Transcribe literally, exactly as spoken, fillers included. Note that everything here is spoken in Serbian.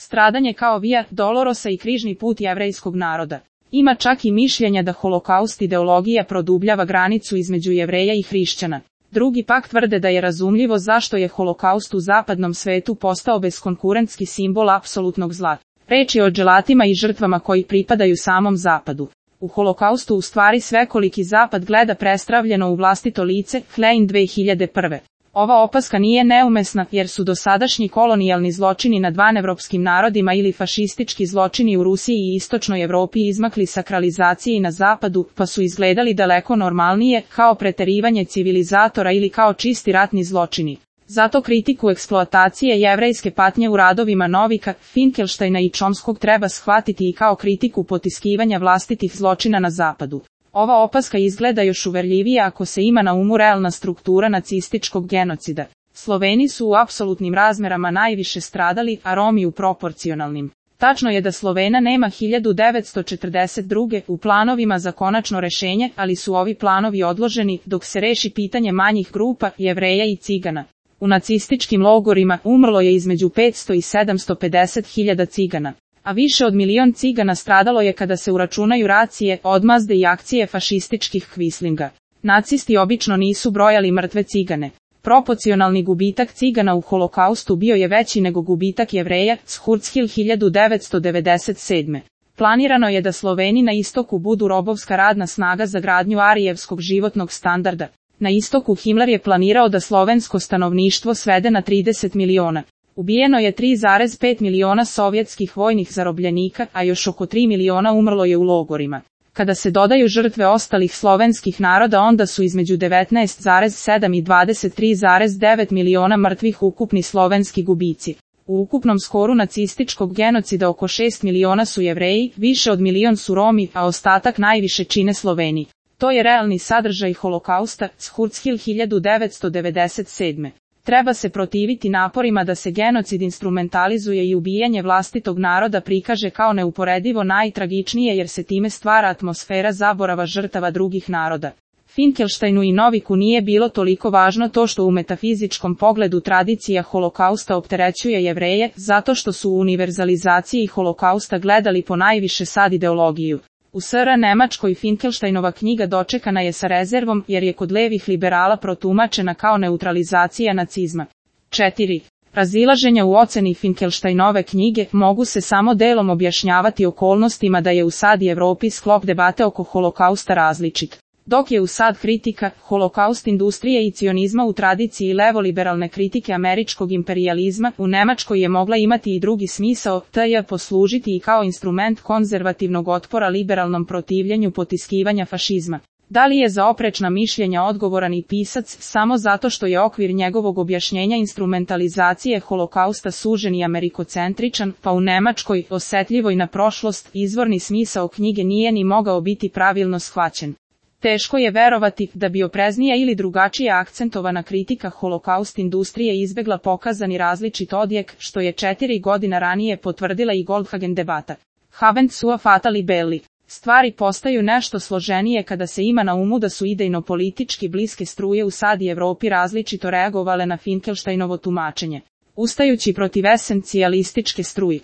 Stradanje kao via dolorosa i križni put jevrejskog naroda. Ima čak i mišljenja da holokaust ideologija produbljava granicu između Jevreja i hrišćana. Drugi pak tvrde da je razumljivo zašto je holokaust u zapadnom svetu postao beskonkurentski simbol apsolutnog zla. Reč je o dželatima i žrtvama koji pripadaju samom zapadu. U holokaustu u stvari svekoliki zapad gleda prestravljeno u vlastito lice, Klein dve hiljade prve. Ova opaska nije neumesna jer su dosadašnji kolonijalni zločini nad vanevropskim narodima ili fašistički zločini u Rusiji i istočnoj Evropi izmakli sakralizaciji na zapadu, pa su izgledali daleko normalnije, kao preterivanje civilizatora ili kao čisti ratni zločini. Zato kritiku eksploatacije jevrejske patnje u radovima Novika, Finkelštajna i Chomskog treba shvatiti i kao kritiku potiskivanja vlastitih zločina na zapadu. Ova opaska izgleda još uverljivije ako se ima na umu realna struktura nacističkog genocida. Sloveni su u apsolutnim razmerama najviše stradali, a Romi u proporcionalnim. Tačno je da Slovena nema hiljadu devetsto četrdeset druge u planovima za konačno rešenje, ali su ovi planovi odloženi dok se reši pitanje manjih grupa, Jevreja i Cigana. U nacističkim logorima umrlo je između petsto i sedamsto pedeset hiljada Cigana. A više od milion Cigana stradalo je kada se uračunaju racije, odmazde i akcije fašističkih kvislinga. Nacisti obično nisu brojali mrtve Cigane. Proporcionalni gubitak Cigana u holokaustu bio je veći nego gubitak Jevreja, Schurzhil hiljadu devetsto devedeset sedme. Planirano je da Sloveni na istoku budu robovska radna snaga za gradnju arijevskog životnog standarda. Na istoku Himmler je planirao da slovensko stanovništvo svede na trideset miliona. Ubijeno je tri zarez pet miliona sovjetskih vojnih zarobljenika, a još oko tri miliona umrlo je u logorima. Kada se dodaju žrtve ostalih slovenskih naroda, onda su između devetnaest zarez sedam i dvadeset tri zarez devet miliona mrtvih ukupni slovenski gubici. U ukupnom skoru nacističkog genocida oko šest miliona su Jevreji, više od milion su Romi, a ostatak najviše čine Sloveni. To je realni sadržaj holokausta, Schurzhil hiljadu devetsto devedeset sedme. Treba se protiviti naporima da se genocid instrumentalizuje i ubijanje vlastitog naroda prikaže kao neuporedivo najtragičnije jer se time stvara atmosfera zaborava žrtava drugih naroda. Finkelštajnu i Noviku nije bilo toliko važno to što u metafizičkom pogledu tradicija holokausta opterećuje Jevreje, zato što su u univerzalizaciji holokausta gledali po najviše sad ideologiju. U S R Nemačkoj Finkelštajnova knjiga dočekana je sa rezervom jer je kod levih liberala protumačena kao neutralizacija nacizma. četiri. Razilaženja u oceni Finkelštajnove knjige mogu se samo delom objašnjavati okolnostima da je u sad i Evropi sklop debate oko holokausta različit. Dok je u sad kritika, holokaust industrije i cionizma u tradiciji levoliberalne kritike američkog imperijalizma, u Nemačkoj je mogla imati i drugi smisao, te je poslužiti i kao instrument konzervativnog otpora liberalnom protivljenju potiskivanja fašizma. Da li je za oprečna mišljenja odgovoran i pisac samo zato što je okvir njegovog objašnjenja instrumentalizacije holokausta sužen i amerikocentričan, pa u Nemačkoj, osetljivoj na prošlost, izvorni smisao knjige nije ni mogao biti pravilno shvaćen. Teško je verovati da bi opreznija ili drugačije akcentovana kritika holokaust industrije izbegla pokazani različit odjek, što je četiri godina ranije potvrdila i Goldhagen debata. Havent sua fatali belli. Stvari postaju nešto složenije kada se ima na umu da su idejno-politički bliske struje u sad i Evropi različito reagovale na Finkelštajnovo tumačenje. Ustajući protiv esencijalističke struje.